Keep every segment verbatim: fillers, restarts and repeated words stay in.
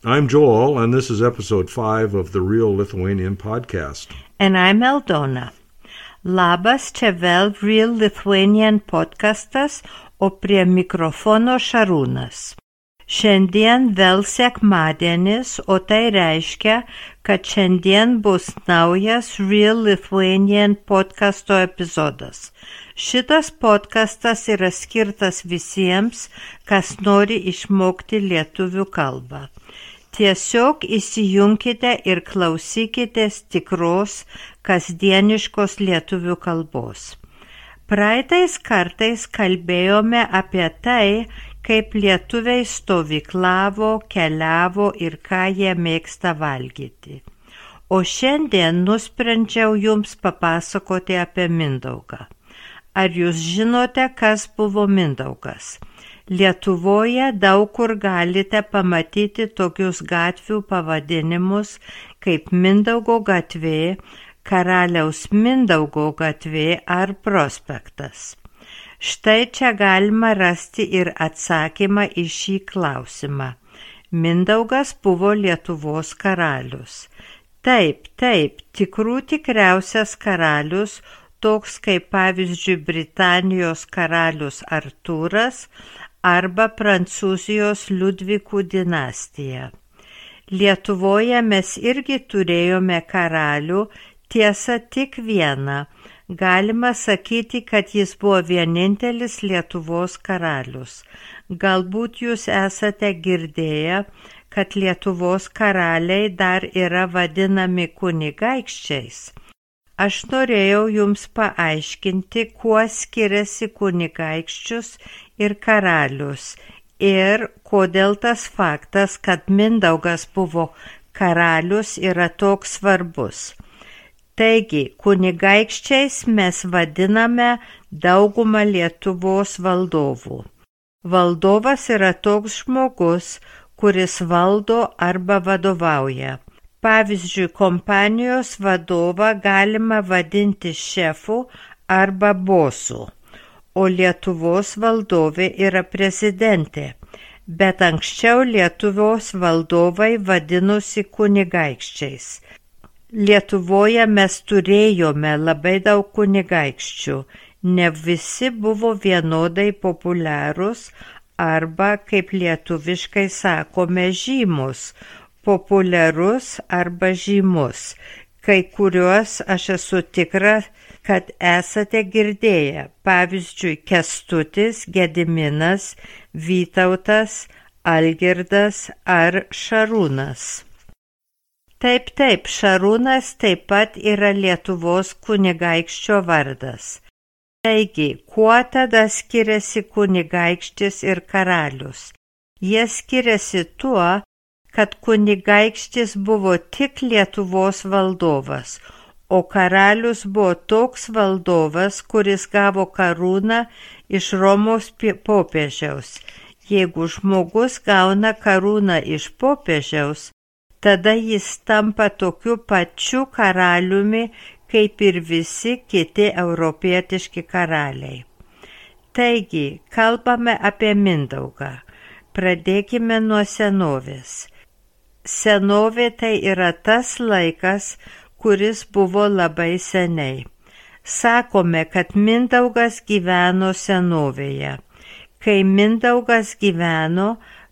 I'm Joel, and this is episode five of the Real Lithuanian podcast. And I'm Aldona. Labas, čia vėl Real Lithuanian podcastas, o prie mikrofono Šarūnas. Šiandien vėl sekmadienis, o tai reiškia, kad šiandien bus naujas Real Lithuanian podcasto epizodas. Šitas podcastas yra skirtas visiems, kas nori išmokti lietuvių kalbą. Tiesiog įsijunkite ir klausykitės tikros, kasdieniškos lietuvių kalbos. Praeitais kartais kalbėjome apie tai, kaip lietuviai stovyklavo, keliavo ir ką jie mėgsta valgyti. O šiandien nusprendžiau jums papasakoti apie Mindaugą. Ar jūs žinote, kas buvo Mindaugas? Lietuvoje daug kur galite pamatyti tokius gatvių pavadinimus kaip Mindaugo gatvė, Karaliaus Mindaugo gatvė ar prospektas. Štai čia galima rasti ir atsakymą į šį klausimą. Mindaugas buvo Lietuvos karalius. Taip, taip, tikrų tikriausias karalius, toks kaip pavyzdžiui Britanijos karalius Artūras arba Prancūzijos Liudvikų dinastija. Lietuvoje mes irgi turėjome karalių, tiesa tik vieną. Galima sakyti, kad jis buvo vienintelis Lietuvos karalius. Galbūt jūs esate girdėję, kad Lietuvos karaliai dar yra vadinami kunigaikščiais. Aš norėjau jums paaiškinti, kuo skiriasi kunigaikščius ir karalius ir kodėl tas faktas, kad Mindaugas buvo karalius, yra toks svarbus. Taigi, kunigaikščiais mes vadiname daugumą Lietuvos valdovų. Valdovas yra toks žmogus, kuris valdo arba vadovauja. Pavyzdžiui, kompanijos vadovą galima vadinti šefu arba bosu, o Lietuvos valdovė yra prezidentė, bet anksčiau Lietuvos valdovai vadinosi kunigaikščiais. Lietuvoje mes turėjome labai daug kunigaikščių, ne visi buvo vienodai populiarūs arba, kaip lietuviškai sakome, žymus, populiarus arba žymus. Kai kuriuos aš esu tikra, kad esate girdėję, pavyzdžiui, Kęstutis, Gediminas, Vytautas, Algirdas ar Šarūnas. Taip, taip, Šarūnas taip pat yra Lietuvos kunigaikščio vardas. Taigi, kuo tada skiriasi kunigaikštis ir karalius? Jie skiriasi tuo, kad kunigaikštis buvo tik Lietuvos valdovas, o karalius buvo toks valdovas, kuris gavo karūną iš Romos popiežiaus. Jeigu žmogus gauna karūną iš popiežiaus, tada jis tampa tokiu pačiu karaliumi, kaip ir visi kiti europietiški karaliai. Taigi, kalbame apie Mindaugą. Pradėkime nuo senovės. Senovė tai yra tas laikas, kuris buvo labai seniai. Sakome, kad Mindaugas gyveno senovėje. Kai Mindaugas gyveno,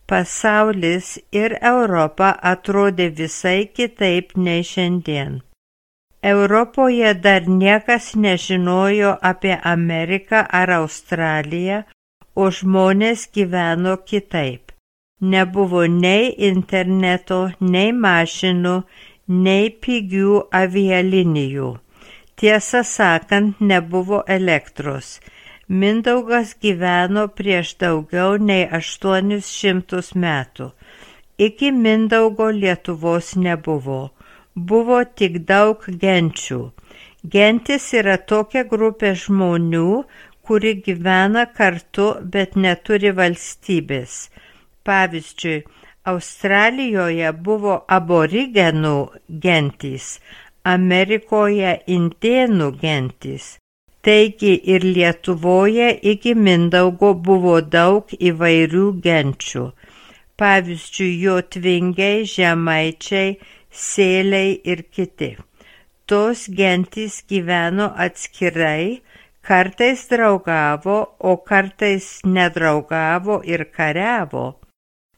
pasaulis ir Europa atrodė visai kitaip nei šiandien. Europoje dar niekas nežinojo apie Ameriką ar Australiją, o žmonės gyveno kitaip. Nebuvo nei interneto, nei mašinų, nei pigių avialinijų. Tiesą sakant, nebuvo elektros. Mindaugas gyveno prieš daugiau nei aštuonis šimtus metų. Iki Mindaugo Lietuvos nebuvo. Buvo tik daug genčių. Gentis yra tokia grupė žmonių, kuri gyvena kartu, bet neturi valstybės. Pavyzdžiui, Australijoje buvo aborigenų gentys, Amerikoje indėnų gentys. Taigi ir Lietuvoje iki Mindaugo buvo daug įvairių genčių. pavyzdžiui, jotvingiai, žemaičiai, sėliai ir kiti. Tos gentys gyveno atskirai, kartais draugavo, o kartais nedraugavo ir kariavo.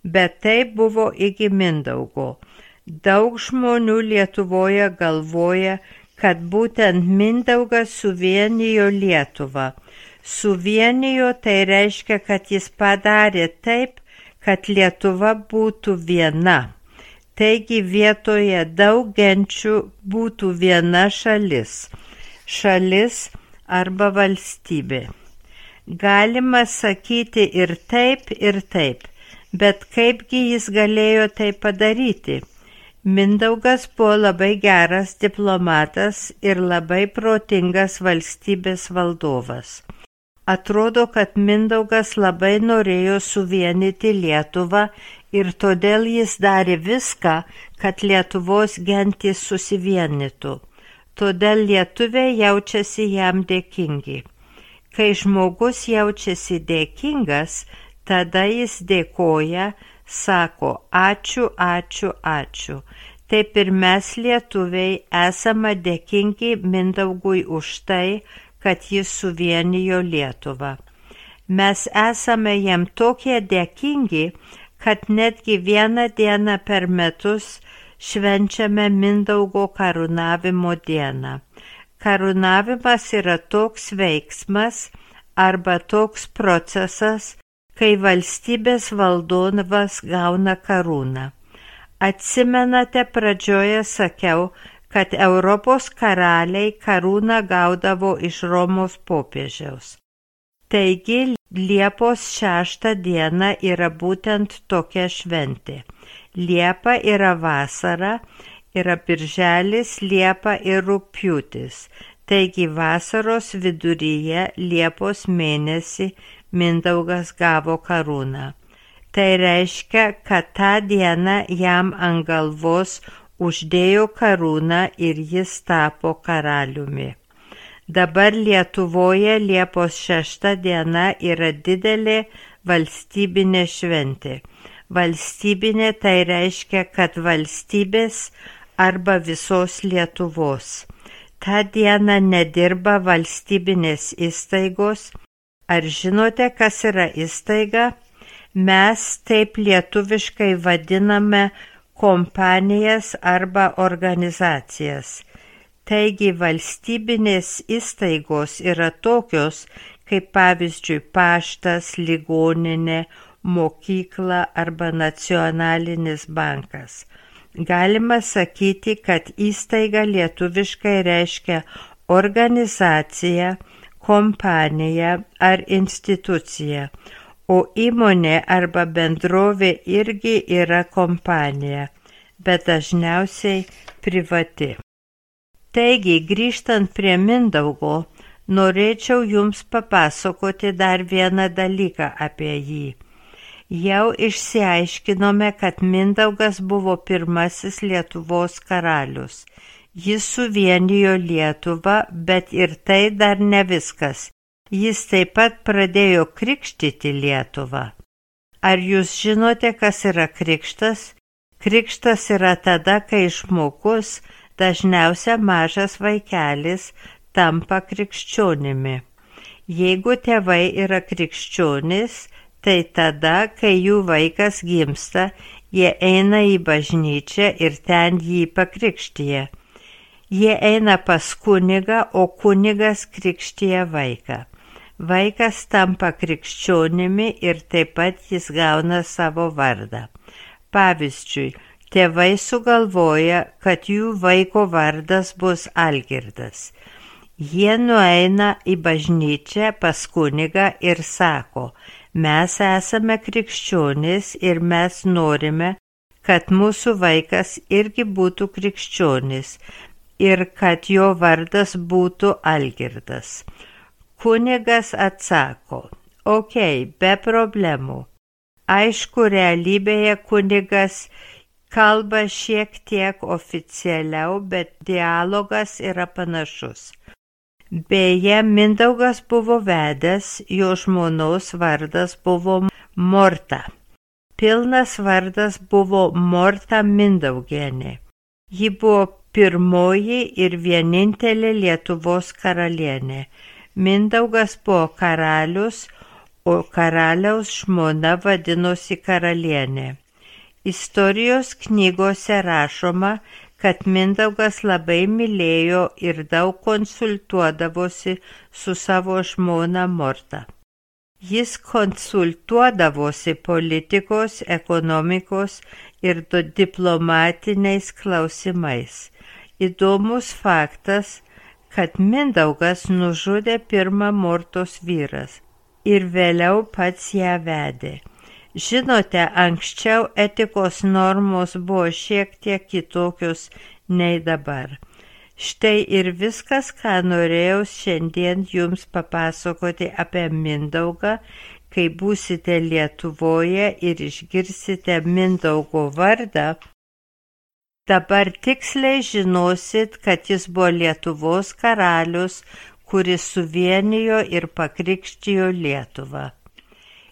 Bet tai buvo iki Mindaugo. Daug žmonių Lietuvoje galvoja, kad būtent Mindaugas suvienijo Lietuvą. Suvienijo tai reiškia, kad jis padarė taip, kad Lietuva būtų viena. Taigi vietoje daug genčių būtų viena šalis. Šalis arba valstybė. Galima sakyti ir taip, ir taip, bet kaipgi jis galėjo tai padaryti? Mindaugas buvo labai geras diplomatas ir labai protingas valstybės valdovas. Atrodo, kad Mindaugas labai norėjo suvienyti Lietuvą ir todėl jis darė viską, kad Lietuvos gentys susivienytų. Todėl lietuviai jaučiasi jam dėkingi. Kai žmogus jaučiasi dėkingas, tada jis dėkoja, sako ačiū, ačiū, ačiū. Taip ir mes lietuviai esame dėkingi Mindaugui už tai, kad jis suvienijo Lietuvą. Mes esame jam tokie dėkingi, kad netgi vieną dieną per metus švenčiame Mindaugo karūnavimo dieną. Karūnavimas yra toks veiksmas arba toks procesas, kai valstybės valdovas gauna karūną. Atsimenate, pradžioje sakiau, kad Europos karaliai karūną gaudavo iš Romos popiežiaus. Taigi, Liepos šeštą dieną yra būtent tokia šventė. Liepa yra vasara, yra birželis, liepa ir rugpjūtis. Taigi, vasaros viduryje Liepos mėnesį Mindaugas gavo karūną. Tai reiškia, kad tą dieną jam ant galvos uždėjo karūną ir jis tapo karaliumi. Dabar Lietuvoje Liepos šešta diena yra didelė valstybinė šventė. Valstybinė tai reiškia, kad valstybės arba visos Lietuvos. Ta diena nedirba valstybinės įstaigos. Ar žinote, kas yra įstaiga? Mes taip lietuviškai vadiname kompanijas arba organizacijas. Taigi valstybinės įstaigos yra tokios, kaip pavyzdžiui paštas, ligoninė, mokykla arba nacionalinis bankas. Galima sakyti, kad įstaiga lietuviškai reiškia organizacija, kompanija ar institucija, o įmonė arba bendrovė irgi yra kompanija, bet dažniausiai privati. Taigi, grįžtant prie Mindaugo, norėčiau jums papasakoti dar vieną dalyką apie jį. Jau išsiaiškinome, kad Mindaugas buvo pirmasis Lietuvos karalius. Jis suvienijo Lietuvą, bet ir tai dar ne viskas. Jis taip pat pradėjo krikštyti Lietuvą. Ar jūs žinote, kas yra krikštas? Krikštas yra tada, kai žmogus, dažniausia mažas vaikelis, tampa krikščionimi. Jeigu tėvai yra krikščionys, tai tada, kai jų vaikas gimsta, jie eina į bažnyčią ir ten jį pakrikštija. Jie eina pas kunigą, o kunigas krikštija vaiką. Vaikas tampa krikščionimi ir taip pat jis gauna savo vardą. Pavyzdžiui, tėvai sugalvoja, kad jų vaiko vardas bus Algirdas. Jie nueina į bažnyčią pas kunigą ir sako, mes esame krikščionys ir mes norime, kad mūsų vaikas irgi būtų krikščionis ir kad jo vardas būtų Algirdas. Kunigas atsako, okei, be problemų. Aišku, realybėje kunigas kalba šiek tiek oficialiau, bet dialogas yra panašus. Beje, Mindaugas buvo vedęs, jo žmonos vardas buvo Morta. pilnas vardas buvo Morta Mindaugienė. Ji buvo pirmoji ir vienintelė Lietuvos karalienė. Mindaugas buvo karalius, o karaliaus žmona vadinosi karalienė. Istorijos knygose rašoma, kad Mindaugas labai mylėjo ir daug konsultuodavosi su savo žmona Morta. Jis konsultuodavosi politikos, ekonomikos ir diplomatiniais klausimais. Įdomus faktas, kad Mindaugas nužudė pirmą Mortos vyras ir vėliau pats ją vedė. Žinote, anksčiau etikos normos buvo šiek tiek kitokios nei dabar. Štai ir viskas, ką norėjau šiandien jums papasakoti apie Mindaugą, kai būsite Lietuvoje ir išgirsite Mindaugo vardą. Dabar tiksliai žinosit, kad jis buvo Lietuvos karalius, kuris suvienijo ir pakrikštijo Lietuvą.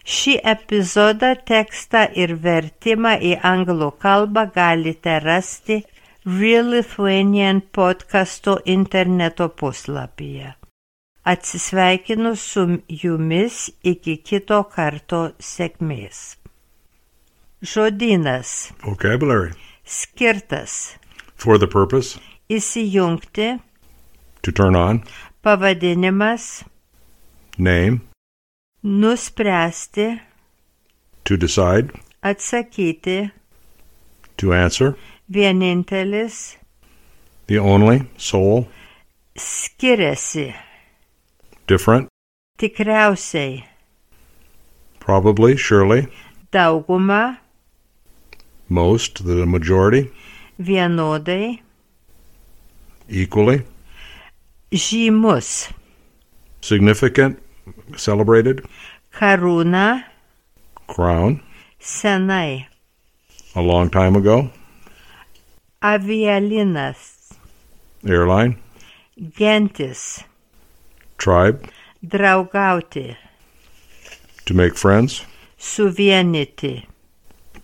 Šį epizodą, tekstą ir vertimą į anglų kalbą galite rasti Real Lithuanian podcasto interneto puslapyje. Atsisveikinu su jumis iki kito karto sėkmės. Žodynas. Vocabulary. Skirtas. For the purpose. Įsijungti. To turn on. Pavadinimas. Name. Nuspręsti. To decide. Atsakyti. To answer. Vienintelis. The only. Sole. Skiriasi. Different. Tikriausiai. Probably. Surely. Dauguma. Most. The majority. Vienodai. Equally. Žymus. Significant. Celebrated. Karūna. Crown. Senai. A long time ago. Avialinas. Airline. Gentis. Tribe. Draugauti. To make friends. Suvienyti.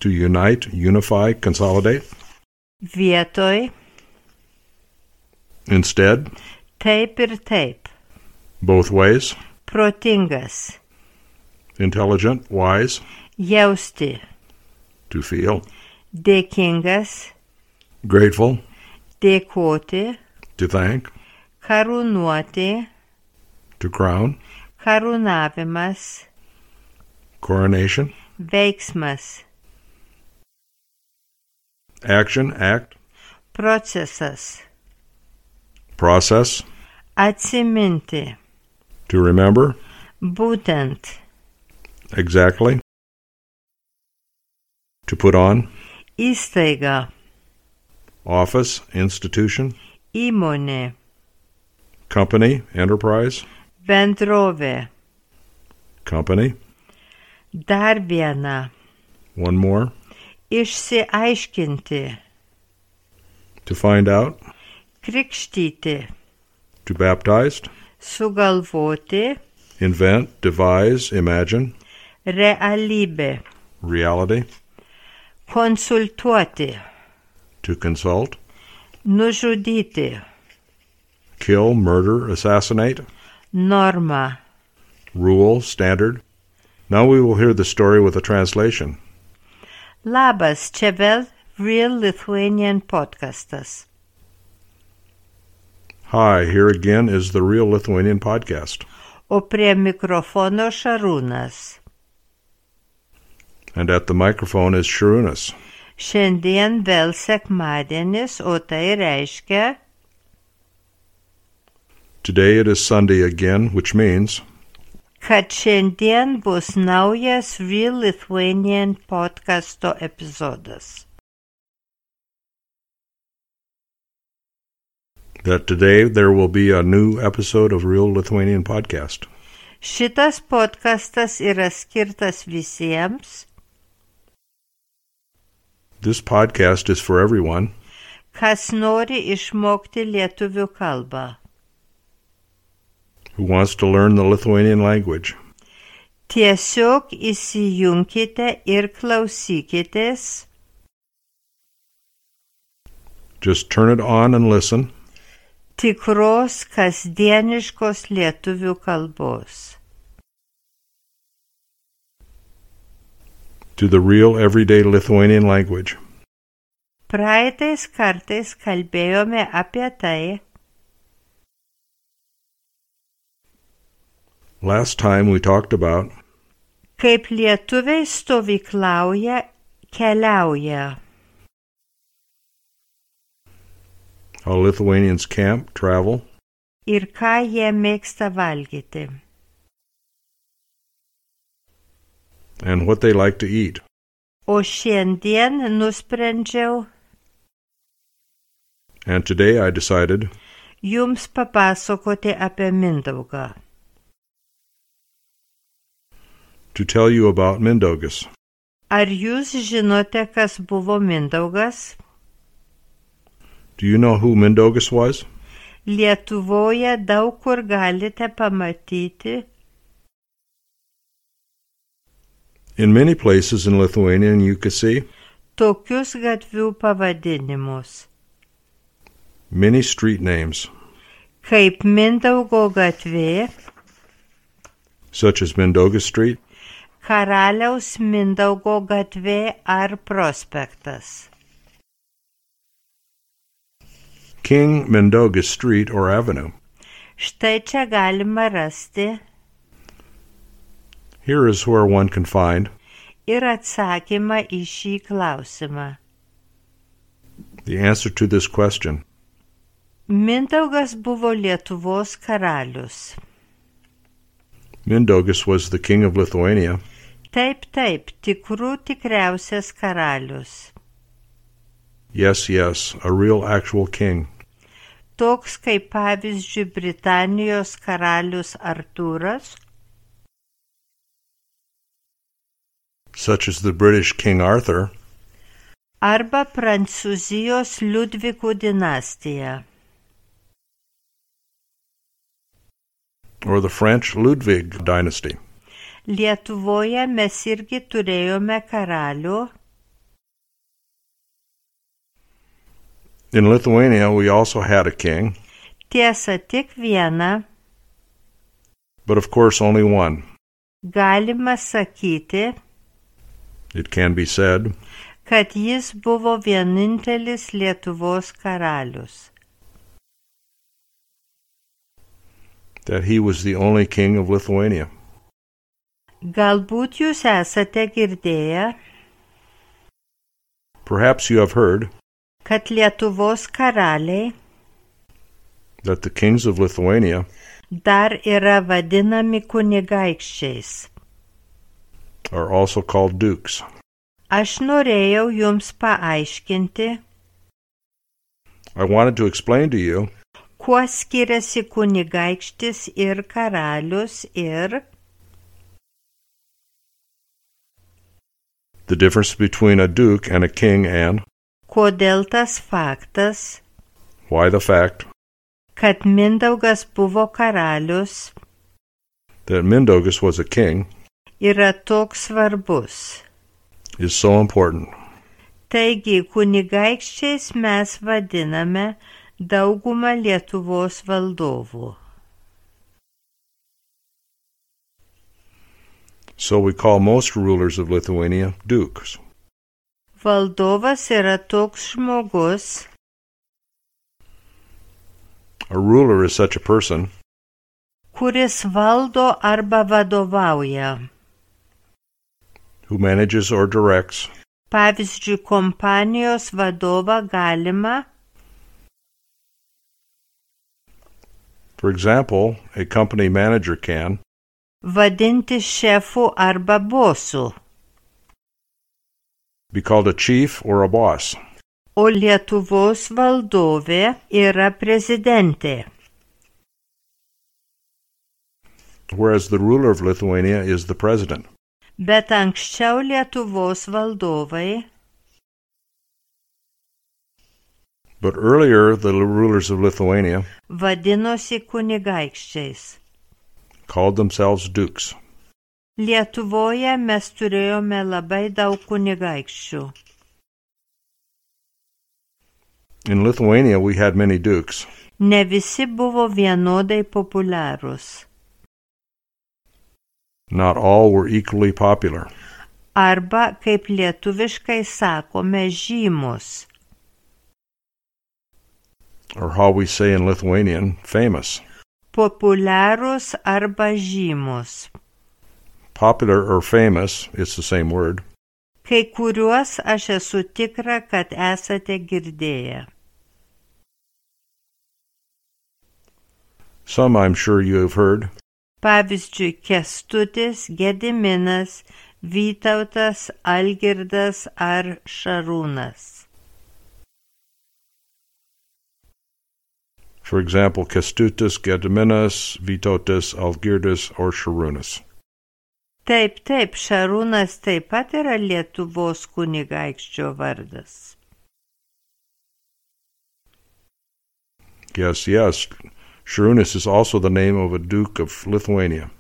To unite, unify, consolidate. Vietoj. Instead. Taip ir taip. Both ways. Protingas. Intelligent, wise. Jausti. To feel. Dėkingas. Grateful. Dėkoti. To thank. Karūnuoti. To crown. Karūnavimas. Coronation. Veiksmas. Action, act. Procesas. Process. Atsiminti. To remember. Būtent. Exactly. To put on. Įstaiga. Office, institution. Įmonė. Company, enterprise. Bendrovė. Company. Dar viena. One more. Išsiaiškinti. To find out. Krikštyti. To baptized. Sugalvoti. Invent, devise, imagine. Realybė. Reality. Konsultuoti. To consult. Nužudyti. Kill, murder, assassinate. Norma. Rule, standard. Now we will hear the story with a translation. Labas, čia vėl Real Lithuanian podcastas. Hi, here again is the Real Lithuanian podcast. O prie mikrofono Šarūnas. And at the microphone is Sharunas. Šiandien vėl sekmadienis, o tai reiškia... Today it is Sunday again, which means... kad šiandien bus naujas Real Lithuanian podcasto epizodas. That today there will be a new episode of Real Lithuanian podcast. Šitas podcastas yra skirtas visiems. This podcast is for everyone. Kas nori išmokti lietuvių kalbą. Who wants to learn the Lithuanian language. Tiesiog įsijunkite ir klausykitės. Just turn it on and listen. Tikros kasdieniškos lietuvių kalbos. To the real everyday Lithuanian language. Praeitais kartais kalbėjome apie tai, Last time we talked about kaip lietuviai stovyklauja, keliauja. how Lithuanians camp, travel, Ir ką jie mėgsta valgyti. and what they like to eat. O šiandien nusprendžiau And today I decided jums papasakoti apie Mindaugą. to tell you about Mindaugas. Ar jūs žinote, kas buvo Mindaugas? Do you know who Mindaugas was? Lietuvoje daug kur galite pamatyti In many places in Lithuania you can see tokius gatvių pavadinimus, many street names, kaip Mindaugo gatvė, such as Mindaugas Street, Karaliaus Mindaugo gatvė ar prospektas. King Mindaugas Street or Avenue. Štai čia galima rasti Here is where one can find ir atsakymą į šį klausimą. the answer to this question. Mindaugas buvo Lietuvos karalius. Mindaugas was the king of Lithuania. Taip, taip, tikrų tikriausias karalius. Yes, yes, a real actual king. Toks kaip pavyzdžiui Britanijos karalius Artūras, Such as the British King Arthur, arba Prancūzijos Liudvikų dinastija. or the French Ludwig dynasty. Lietuvoje mes irgi turėjome karalių, In Lithuania we also had a king, tiesa tik vieną, but of course only one. galima sakyti, It can be said kad jis buvo vienintelis Lietuvos karalius. that he was the only king of Lithuania. Galbūt jūs esate girdėję, Perhaps you have heard kad Lietuvos karaliai that the kings of Lithuania dar yra vadinami kunigaikščiais. are also called dukes. Aš norėjau jums paaiškinti, I wanted to explain to you kuo skiriasi kunigaikštis ir karalius ir the difference between a duke and a king and kodėl tas faktas, why the fact kad Mindaugas buvo karalius, that Mindaugas was a king yra toks svarbus. is so important. Taigi, kunigaikščiais mes vadiname daugumą Lietuvos valdovų. So we call most rulers of Lithuania dukes. Valdovas yra toks žmogus, A ruler is such a person kuris valdo arba vadovauja. who manages or directs. Pavyzdžiui, kompanijos vadovą galima, For example, a company manager can vadinti šefu arba bosu, be called a chief or a boss, o Lietuvos valdovė yra prezidentė. whereas the ruler of Lithuania is the president. Bet anksčiau Lietuvos valdovai But earlier, the rulers of Lithuania vadinosi kunigaikščiais. called themselves dukes. Lietuvoje mes turėjome labai daug kunigaikščių. In Lithuania, we had many dukes. Ne visi buvo vienodai populiarūs. Not all were equally popular. Arba, kaip lietuviškai sakome, žymus. Or how we say in Lithuanian, famous. Populiarūs arba žymus. Popular or famous, it's the same word. Kai kuriuos aš esu tikra, kad esate girdėję. Some I'm sure you have heard. Pavyzdžiui, Kęstutis, Gediminas, Vytautas, Algirdas ar Šarūnas. For example, Kęstutis, Gediminas, Vytautas, Algirdas, or Šarūnas. Taip, taip, Šarūnas taip pat yra Lietuvos kunigaikščio vardas. Yes, yes. Šarūnas is also the name of a duke of Lithuania.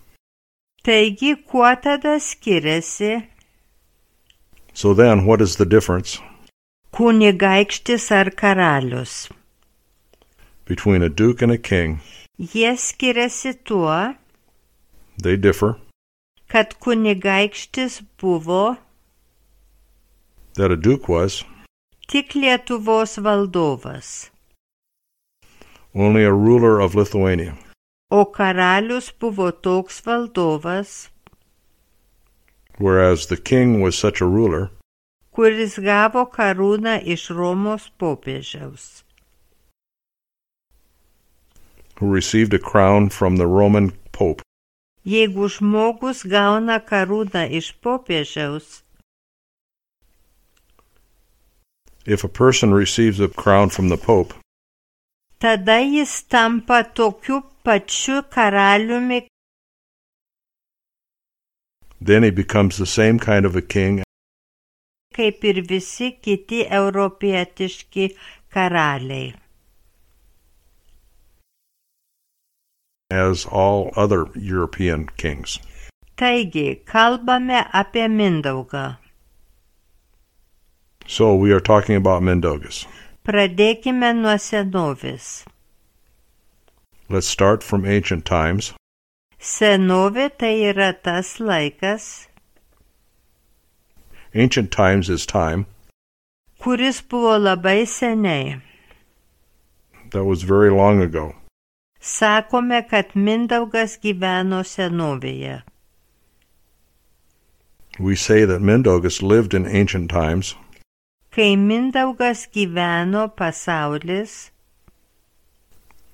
Taigi, kuo tada skiriasi? So then, what is the difference Kunigaikštis ar karalius? between a duke and a king? Jie skiriasi tuo, They differ. kad kunigaikštis buvo That a duke was tik Lietuvos valdovas, only a ruler of Lithuania. o karalius buvo toks valdovas, Whereas the king was such a ruler kuris gavo karūną iš Romos popiežiaus. who received a crown from the Roman Pope. Jeigu žmogus gauna karūną iš popiežiaus, If a person receives a crown from the Pope, tada jis tampa tokiu pačiu karaliumi, then he becomes the same kind of a king kaip ir visi kiti europietiški karaliai. as all other European kings. Taigi, kalbame apie Mindaugą. So we are talking about Mindaugas. Pradėkime nuo senovės. Let's start from ancient times. Senovė tai yra tas laikas, Ancient times is time kuris buvo labai seniai. that was very long ago. Sakome, kad Mindaugas gyveno senovėje. We say that Mindaugas lived in ancient times. Kai Mindaugas gyveno, pasaulis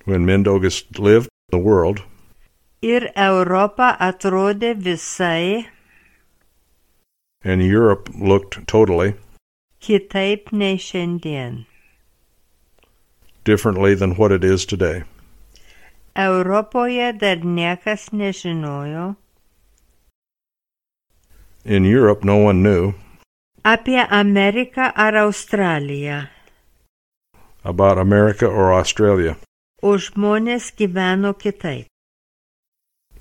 When Mindaugas lived, the world ir Europa atrodė visai and Europe looked totally kitaip nei šiandien. differently than what it is today. Europoje dar niekas nežinojo In Europe, no one knew apie Ameriką ar Australiją, about America or Australia, o žmonės gyveno kitaip.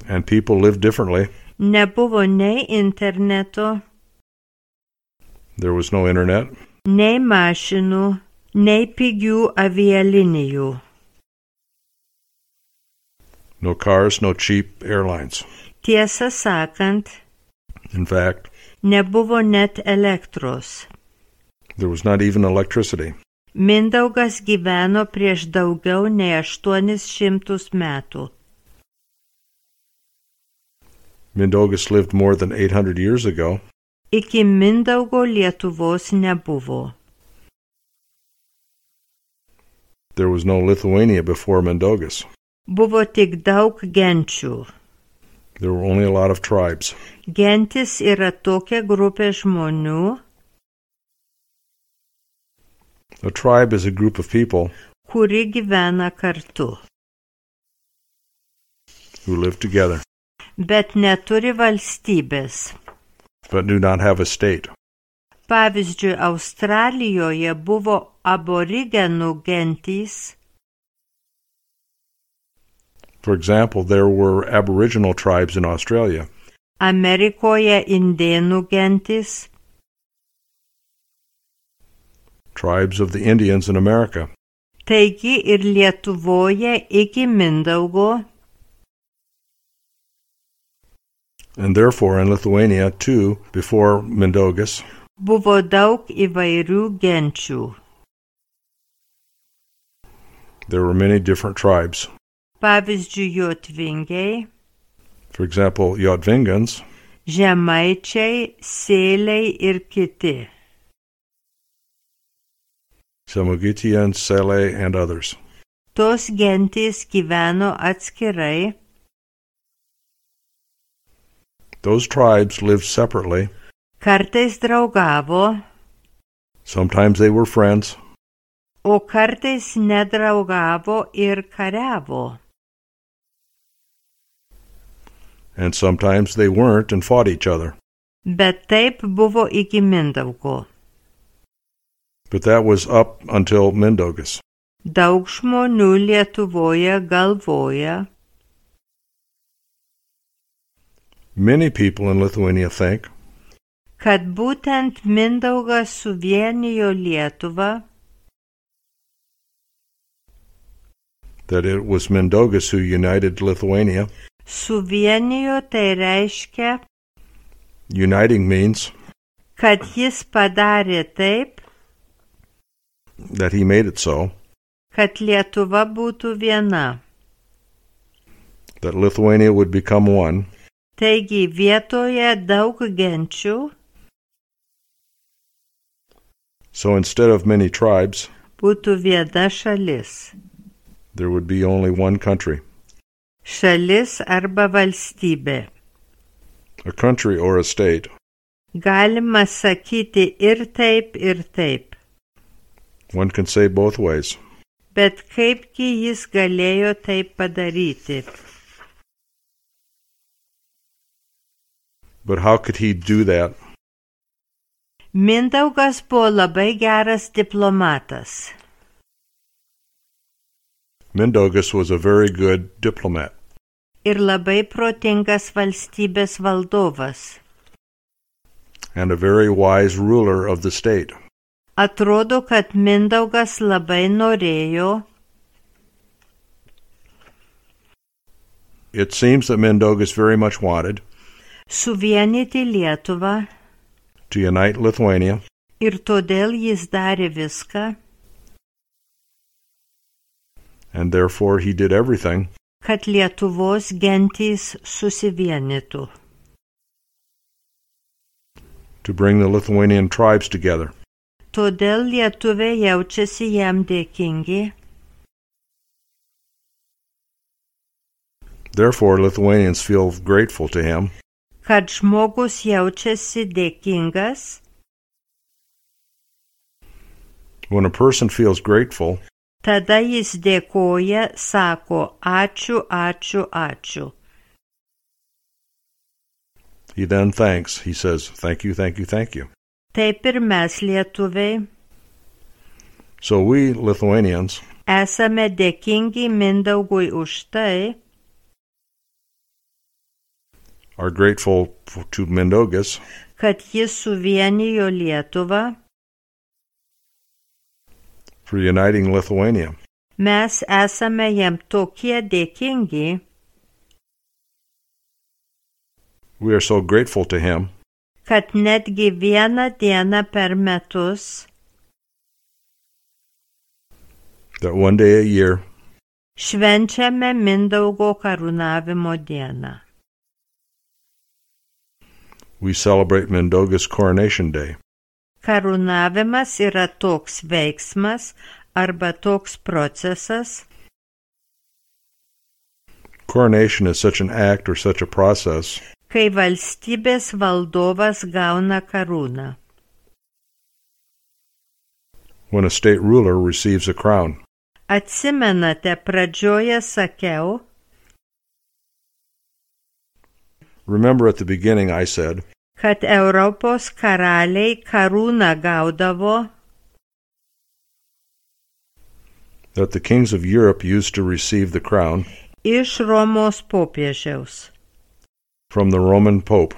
and people lived differently. Nebuvo nei interneto, There was no internet, nei mašinų, nei pigių avialinijų. no cars, no cheap airlines. Tiesą sakant, In fact, nebuvo net elektros. there was not even electricity. Mindaugas gyveno prieš daugiau nei aštuonis šimtus metų. Mindaugas lived more than eight hundred years ago. Iki Mindaugo Lietuvos nebuvo. There was no Lithuania before Mindaugas. Buvo tik daug genčių. There were only a lot of tribes. Gentis yra tokia grupė žmonių, A tribe is a group of people kuri gyvena kartu, who live together bet neturi valstybės. but do not have a state. Pavyzdžiui, Australijoje buvo aborigenų gentys, For example, there were Aboriginal tribes in Australia, Amerikoje indėnų gentis. Tribes of the Indians in America. Taigi ir Lietuvoje iki Mindaugo. And therefore in Lithuania too, before Mindaugas, Buvo daug įvairių genčių. there were many different tribes. Pavyzdžiui, jotvingiai, For example, Jotvingans, žemaičiai, sėliai ir kiti. Samogitians, Sele, and others. Tos gentys gyveno atskirai. Those tribes lived separately. Kartais draugavo, Sometimes they were friends, o kartais nedraugavo ir kariavo. and sometimes they weren't and fought each other. Bet taip buvo iki Mindaugo. But that was up until Mindaugas. Daug žmonių Lietuvoje galvoja, Many people in Lithuania think kad būtent Mindaugas suvienijo Lietuvą, that it was Mindaugas who united Lithuania. suvienijo tai reiškia, Uniting means kad jis padarė taip, that he made it so, kad Lietuva būtų viena. that Lithuania would become one. Taigi vietoje daug genčių So instead of many tribes, būtų viena šalis. there would be only one country. Šalis arba valstybė. A country or a state. Galima sakyti ir taip, ir taip. One can say both ways. Bet kaipgi jis galėjo taip padaryti? But how could he do that? Mindaugas buvo labai geras diplomatas. Mindaugas was a very good diplomat Ir labai protingas valstybės valdovas. and a very wise ruler of the state. Atrodo, kad Mindaugas labai norėjo, It seems that Mindaugas very much wanted suvienyti Lietuvą to unite Lithuania, ir todėl jis darė viską, and therefore he did everything kad Lietuvos gentys susivienytų. to bring the Lithuanian tribes together. Todėl lietuviai jaučiasi jam dėkingi, Therefore Lithuanians feel grateful to him kad žmogus jaučiasi dėkingas, when a person feels grateful. tada jis dėkoja, sako ačiū, ačiū, ačiū. He then thanks. He says, thank you, thank you, thank you. Taip ir mes lietuviai So we Lithuanians esame dėkingi Mindaugui už tai, are grateful to Mindaugas kad jis suvienijo Lietuvą. for uniting Lithuania. Mes esame jam tokie dėkingi, We are so grateful to him kad netgi vieną dieną per metus that one day a year švenčiame Mindaugo karūnavimo dieną. we celebrate Mindaugas Coronation Day. Karūnavimas yra toks veiksmas arba toks procesas, Coronation is such an act or such a process kai valstybės valdovas gauna karūną. when a state ruler receives a crown. Atsimenate, pradžioje sakiau, Remember at the beginning I said kad Europos karaliai karūną gaudavo that the kings of Europe used to receive the crown iš Romos popiežiaus. from the Roman Pope.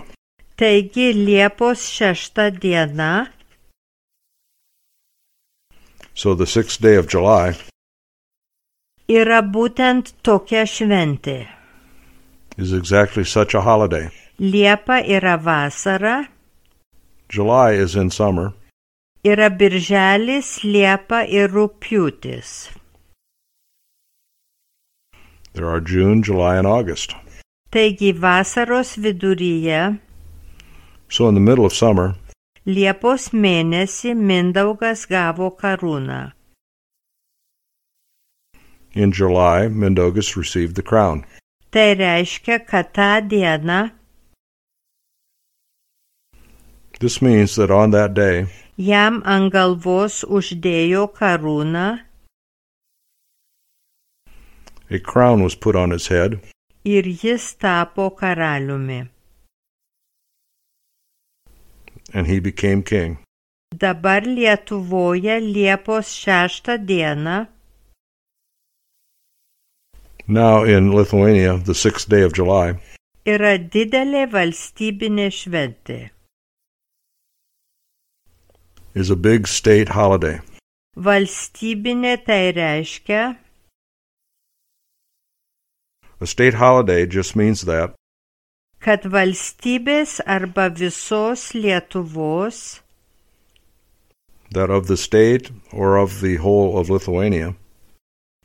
Taigi Liepos šešta diena, So the sixth day of July yra būtent tokia šventė. is exactly such a holiday. Liepa yra vasara, July is in summer, yra birželis, liepa ir rugpjūtis. there are June, July, and August. Taigi vasaros viduryje, So in the middle of summer, Liepos mėnesį Mindaugas gavo karūną. in July, Mindaugas received the crown. Tai reiškia, kad tą dieną This means that on that day, jam ant galvos uždėjo karūną a crown was put on his head, ir jis tapo karaliumi. and he became king. Dabar Lietuvoje Liepos šeštą dieną Now in Lithuania, the sixth day of July yra didelė valstybinė šventė. is a big state holiday. Valstybinė tai reiškia, A state holiday just means that kad valstybės arba visos Lietuvos that of the state or of the whole of Lithuania,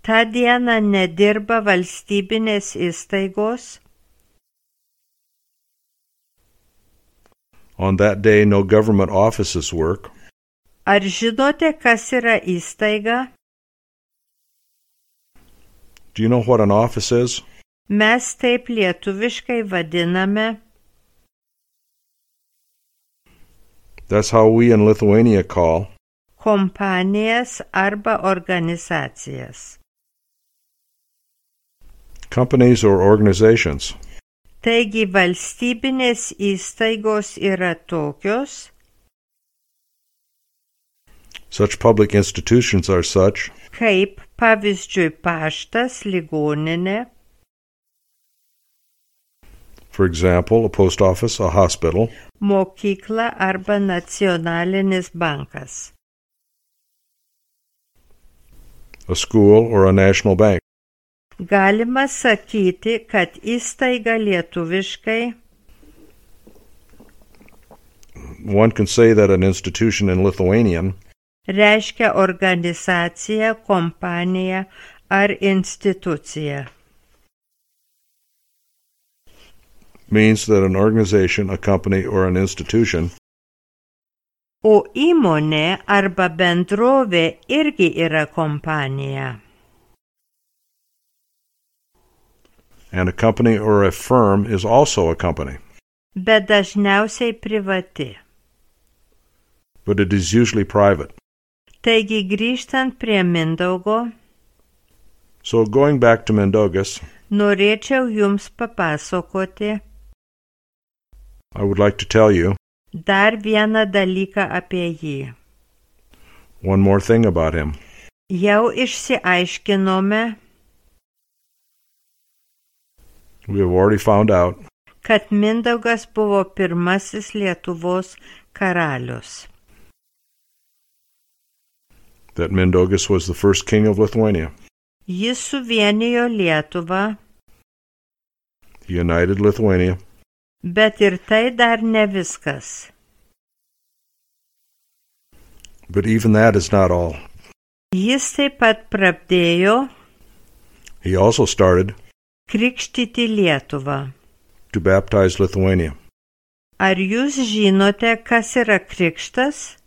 tą dieną nedirba valstybinės įstaigos, on that day no government offices work. Ar žinote, kas yra įstaiga? Do you know what an office is? Mes taip lietuviškai vadiname. That's how we in Lithuania call Kompanijas arba organizacijas. companies or organizations. Taigi valstybinės įstaigos yra tokios, Such public institutions are such kaip pavyzdžiui paštas, ligoninė, for example, a post office, a hospital, mokykla arba nacionalinis bankas. a school, or a national bank. Galima sakyti, kad įstaiga lietuviškai One can say that an institution in Lithuanian reiškia organizacija, kompanija ar institucija. means that an organization, a company, or an institution O įmonė arba bendrovė irgi yra kompanija. and a company or a firm is also a company, Bet dažniausiai privati. but it is usually private. Taigi grįžtant prie Mindaugo, So going back to Mindaugas, norėčiau jums papasakoti I would like to tell you dar vieną dalyką apie jį. one more thing about him. Jau išsiaiškinome, We have already found out kad Mindaugas buvo pirmasis Lietuvos karalius. that Mindaugas was the first king of Lithuania. Jis suvienijo Lietuvą, He united Lithuania, bet ir tai dar ne viskas. but even that is not all. Jis taip pat pradėjo He also started krikštyti Lietuvą. to baptize Lithuania. Ar jūs žinote, kas yra krikštas?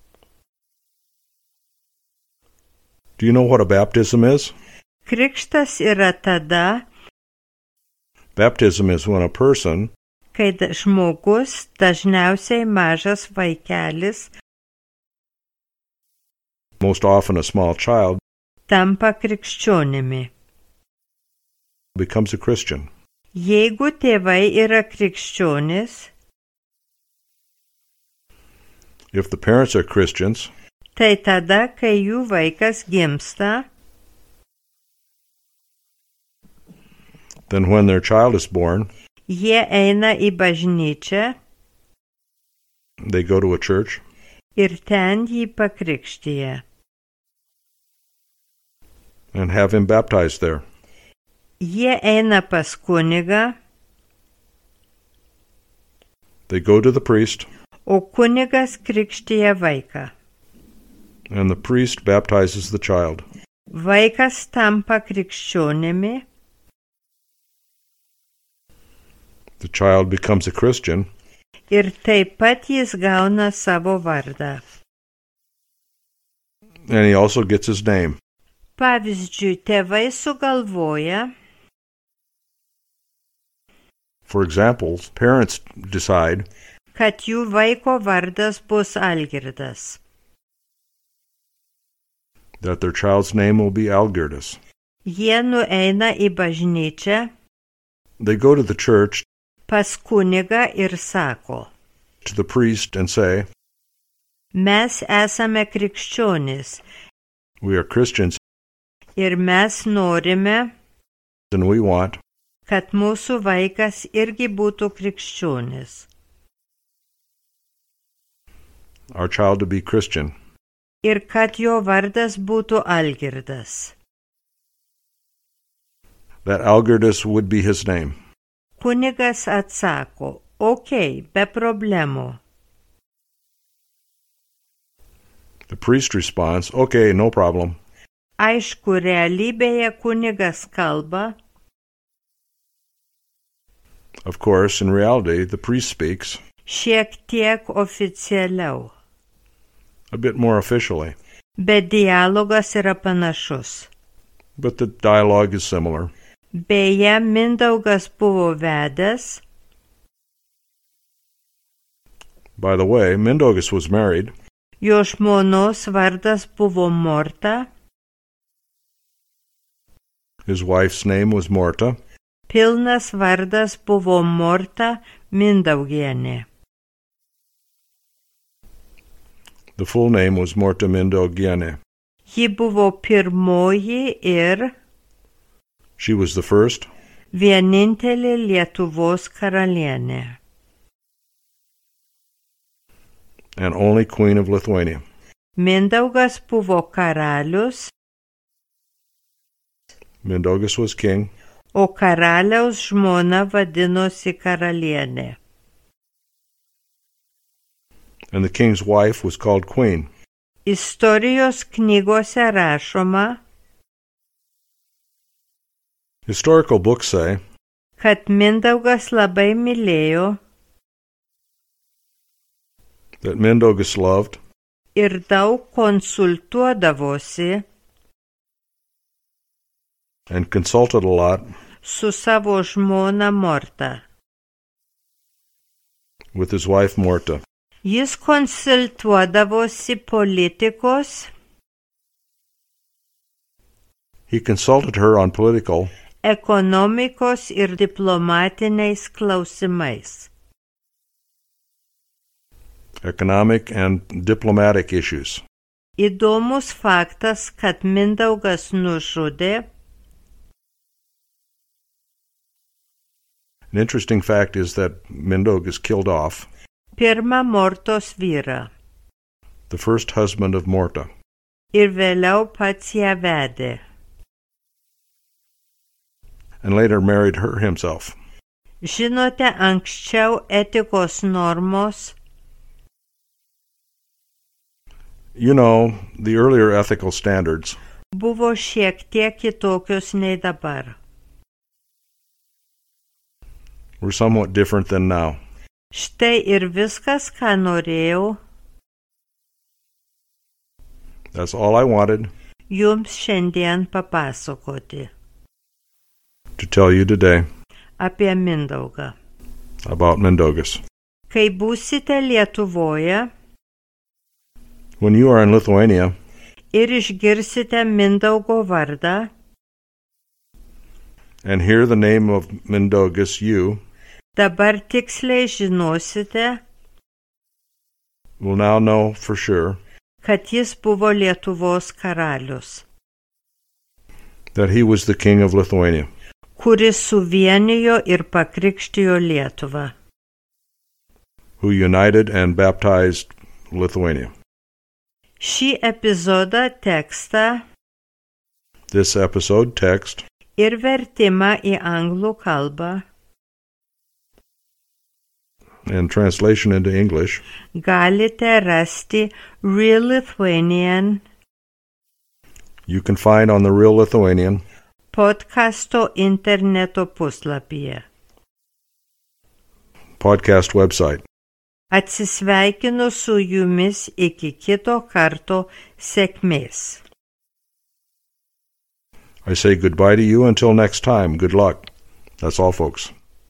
Do you know what a baptism is? Krikštas yra tada, Baptism is when a person, kai da- žmogus, dažniausiai mažas vaikelis, most often a small child, tampa krikščionimi. becomes a Christian. Jeigu tėvai yra krikščionis, If the parents are Christians, tai tada, kai jų vaikas gimsta, then when their child is born, Jie eina į bažnyčią. They go to a church. Ir ten jį pakrikštija. And have him baptized there. Jie eina pas kunigą. They go to the priest. O kunigas krikštija vaiką. And the priest baptizes the child. Vaikas tampa krikščionimi. The child becomes a Christian. Ir taip pat jis gauna savo vardą. And he also gets his name. Pavyzdžiui, tėvai sugalvoja. For example, parents decide kad jų vaiko vardas bus Algirdas. That their child's name will be Algirdus. Jie nueina į bažnyčią. They go to the church. Pas kunigą ir sako. To the priest and say. Mes esame krikščionys. We are Christians. Ir mes norime. And we want. Kad mūsų vaikas irgi būtų krikščionis. Our child to be Christian. Ir kad jo vardas būtų Algirdas. That Algirdus would be his name. Kunigas atsako, okei, be problemų. The priest responds, okay, no problem. Aišku, realybėje kunigas kalba. Of course, in reality, the priest speaks. Šiek tiek oficialiau. A bit more officially. Bet dialogas yra panašus. But the dialogue is similar. Beje, Mindaugas buvo vedęs. By the way, Mindaugas was married. Jo žmonos vardas buvo Morta. His wife's name was Morta. Pilnas vardas buvo Morta Mindaugienė. The full name was Morta Mindaugienė. Ji buvo pirmoji ir She was the first vienintelė Lietuvos karalienė. And only queen of Lithuania. Mindaugas buvo karalius. Mindaugas was king. O karaliaus žmona vadinosi karalienė. And the king's wife was called queen. Istorijos knygose rašoma, Historical books say kad Mindaugas labai mylėjo that Mindaugas loved ir daug konsultuodavosi and consulted a lot su savo žmona Morta. with his wife Morta. Jis konsultuodavosi politikos, He consulted her on political, ekonomikos ir diplomatiniais klausimais. economic, and diplomatic issues. Įdomus faktas, kad Mindaugas nužudė An interesting fact is that Mindaugas killed off pirmą Mortos vyrą the first husband of Morta ir vėliau pats ją vedė. and later married her himself. Žinote, anksčiau etikos normos You know, the earlier ethical standards buvo šiek tiek kitokios nei dabar. were somewhat different than now. Štai ir viskas, ką norėjau That's all I wanted jums šiandien papasakoti to tell you today apie Mindaugą. about Mindaugas. Kai būsite Lietuvoje When you are in Lithuania ir išgirsite Mindaugo vardą, and hear the name of Mindaugas, you dabar tiksliai žinosite, will now know for sure kad jis buvo Lietuvos karalius, that he was the king of Lithuania. kuris suvienijo ir pakrikštijo Lietuvą. Who united and baptized Lithuania. Šį epizodą tekstą This episode text ir vertimą į anglų kalbą and translation into English galite rasti Real Lithuanian you can find on the Real Lithuanian podcasto interneto puslapyje. podcast website. Atsisveikinu su jumis iki kito karto, sėkmės. I say goodbye to you until next time. Good luck. That's all, folks.